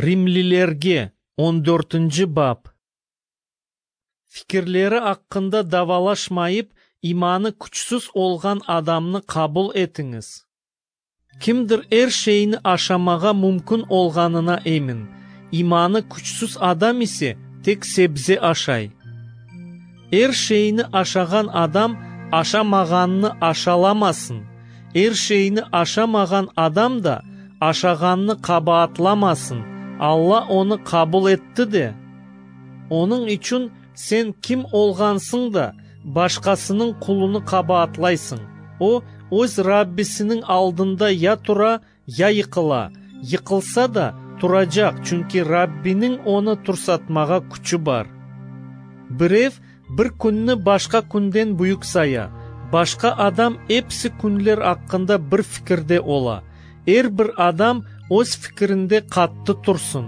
Rimlilerge, on dörtünci bap. Fikirleri aqqında davalaşmayıp, imanı küçsüz olğan adamnı qabul etiñiz. Kimdir er şeyni aşamağa mümkün olğanına emin, imanı küçsüz adam ise tek sebze aşay. Er şeyni aşağan adam aşamağannı aşalamasın, er şeyni aşamağan adam da aşağannı qabaatlamasın, Alla onı qabul etti de. Onıñ içün sen kim olğansıñ da, başqasınıñ qulunı qabaatlaysıñ? O, öz Rabbisiniñ aldında ya tura, ya yıqıla. Yıqılsa da, turacaq, çünki Rabbiniñ onı tursatmağa küçü bar. Birev bir künni başqa künden büyük saya, başqa adam episi künler aqqında bir fikirde ola. Er bir adam öz fikirinde qattı tursın.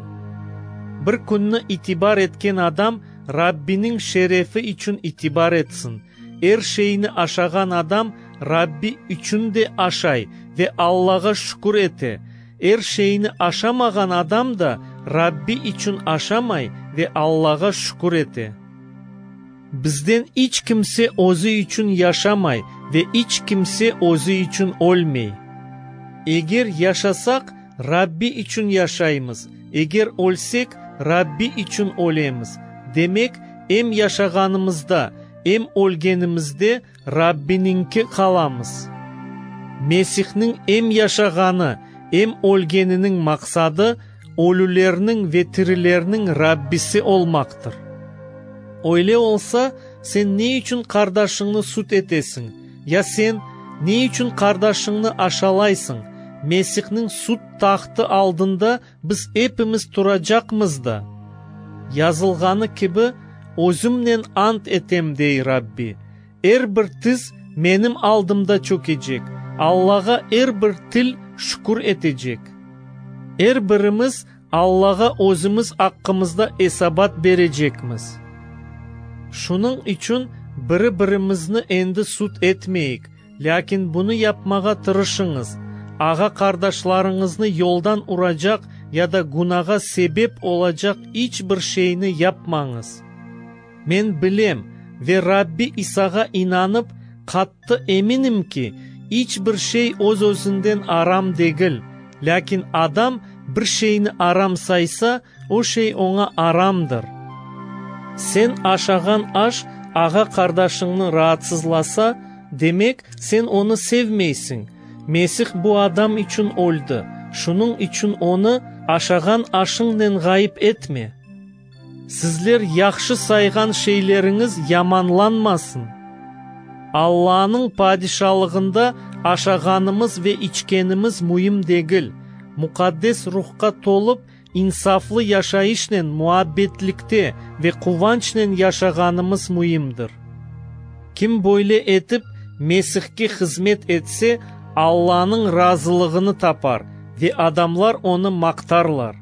Bir künni itibar etken adam Rabbiniñ şerefi içün itibar etsin. Er şeyni aşağan adam Rabbi içün de aşay ve Allağa şükür ete. Er şeyni aşamağan adam da Rabbi içün aşamay ve Allağa şükür ete. Bizden iç kimse özü içün yaşamay ve iç kimse özü içün ölmey. Eger yaşasaq, Rabbi içün yaşaymız, eger ölsek, Rabbi içün ölemiz. Demek, em yaşağanımızda, em ölgenimizde Rabbiniñki qalamız. Mesihniñ em yaşağanı, em ölgeniniñ maqsadı, ölülerniñ ve tirilerniñ Rabbisi olmaqtır. Öyle olsa, sen ne içün qardaşıñnı sud etesiñ? Ya sen, ne içün qardaşıñnı aşalaysıñ? Mesihniñ sud tahtı aldında biz epimiz turacaqmız da. Yazılğanı kibi, Özümnen ant etem, dey Rabbi, er bir tiz Menim aldımda çökecek, Allağa er bir til şükür etecek. Er birimiz Allağa özümiz aqqımızda esabat berecekmiz. Şunıñ içün biri-birimizni endi sud etmeyik, lâkin bunı yapmağa tırışıñız, ağa-qardaşlarıñıznı yoldan uracaq ya da günağa sebep olacaq iç bir şeyni yapmañız. Men bilem ve Rabbi İsağa inanıp, qattı eminim ki, iç bir şey öz-özünden aram degil, lâkin adam bir şeyni aram saysa, o şey oña aramdır. Sen aşağan aş ağa-qardaşıñnı raatsızlasa, demek, sen onı sevmeysiñ. Mesih bu adam içün öldi, şunıñ içün onı aşağan aşıñnen ğayıp etme. Sizler yahşı sayğan şeyleriñiz yamanlanmasın. Allanıñ Padişalığında aşağanımız ve içkenimiz müim degil. Muqaddes Ruhqa tolıp, insaflı yaşayışnen, muabbetlikte ve quvançnen yaşağanımız müimdir. Kim böyle etip Mesihke hızmet etse, Allanıñ razılığını tapar ve adamlar onı maqtarlar.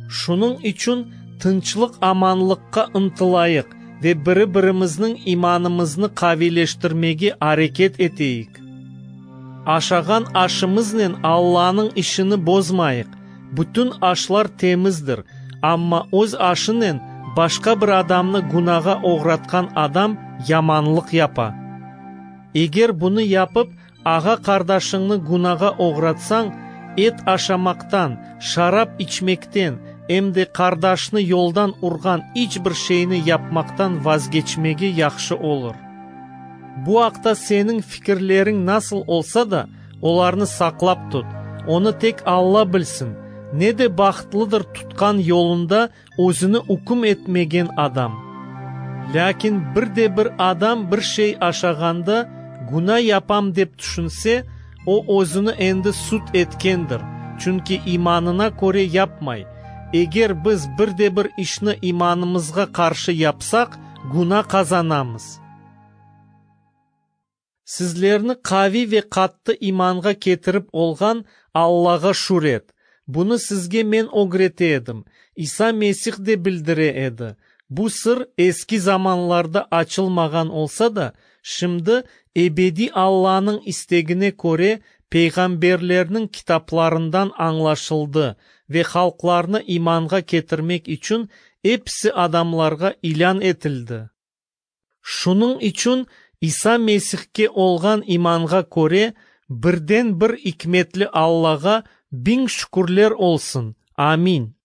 Şunıñ içün tınçlıq-amanlıqqa ıntılayıq ve biri-birimizniñ imanımıznı qaviyleştirmege areket eteyik. Aşağan aşımıznen Allanıñ işini bozmayıq. Bütün aşlar temizdir, amma öz aşınen başqa bir adamnı günağa oğratqan adam yamanlıq yapa. Eger bunı yapıp, ağa-qardaşıñnı günağa oğratsañ, et aşamaqtan, şarap içmekten, em de qardaşnı yoldan urğan iç bir şeyni yapmaqtan vazgeçmege yahşı olur. Bu aqta seniñ fikirleriñ nasıl olsa da, olarnı saqlap tut. Onı tek Alla bilsin. Ne de bahtlıdır tutqan yolunda özüni üküm etmegen adam. Lâkin bir de bir adam bir şey aşağanda, güna yapam dep tüşünse, o özüni endi sud etkendir, çünki imanına köre yapmay. Eger biz bir de bir işni imanımızğa qarşı yapsaq, güna qazanamız. Sizlerni qaviy ve qattı imanğa ketirip olğan Allağa şüret. Bunı sizge men ögrete edim, İsa Mesih de bildire edi. Bu sır eski zamanlarda açılmağan olsa da, şimdi ebediy Allanıñ istegine köre peyğamberlerniñ kitaplarından añlaşıldı. ve halqlarnı imanğa ketirmek içün episi adamlarğa ilân etildi. Şunıñ içün İsa Mesihke olğan imanğa köre, birden-bir ikmetli Allağa biñ şükürler olsun. Amin.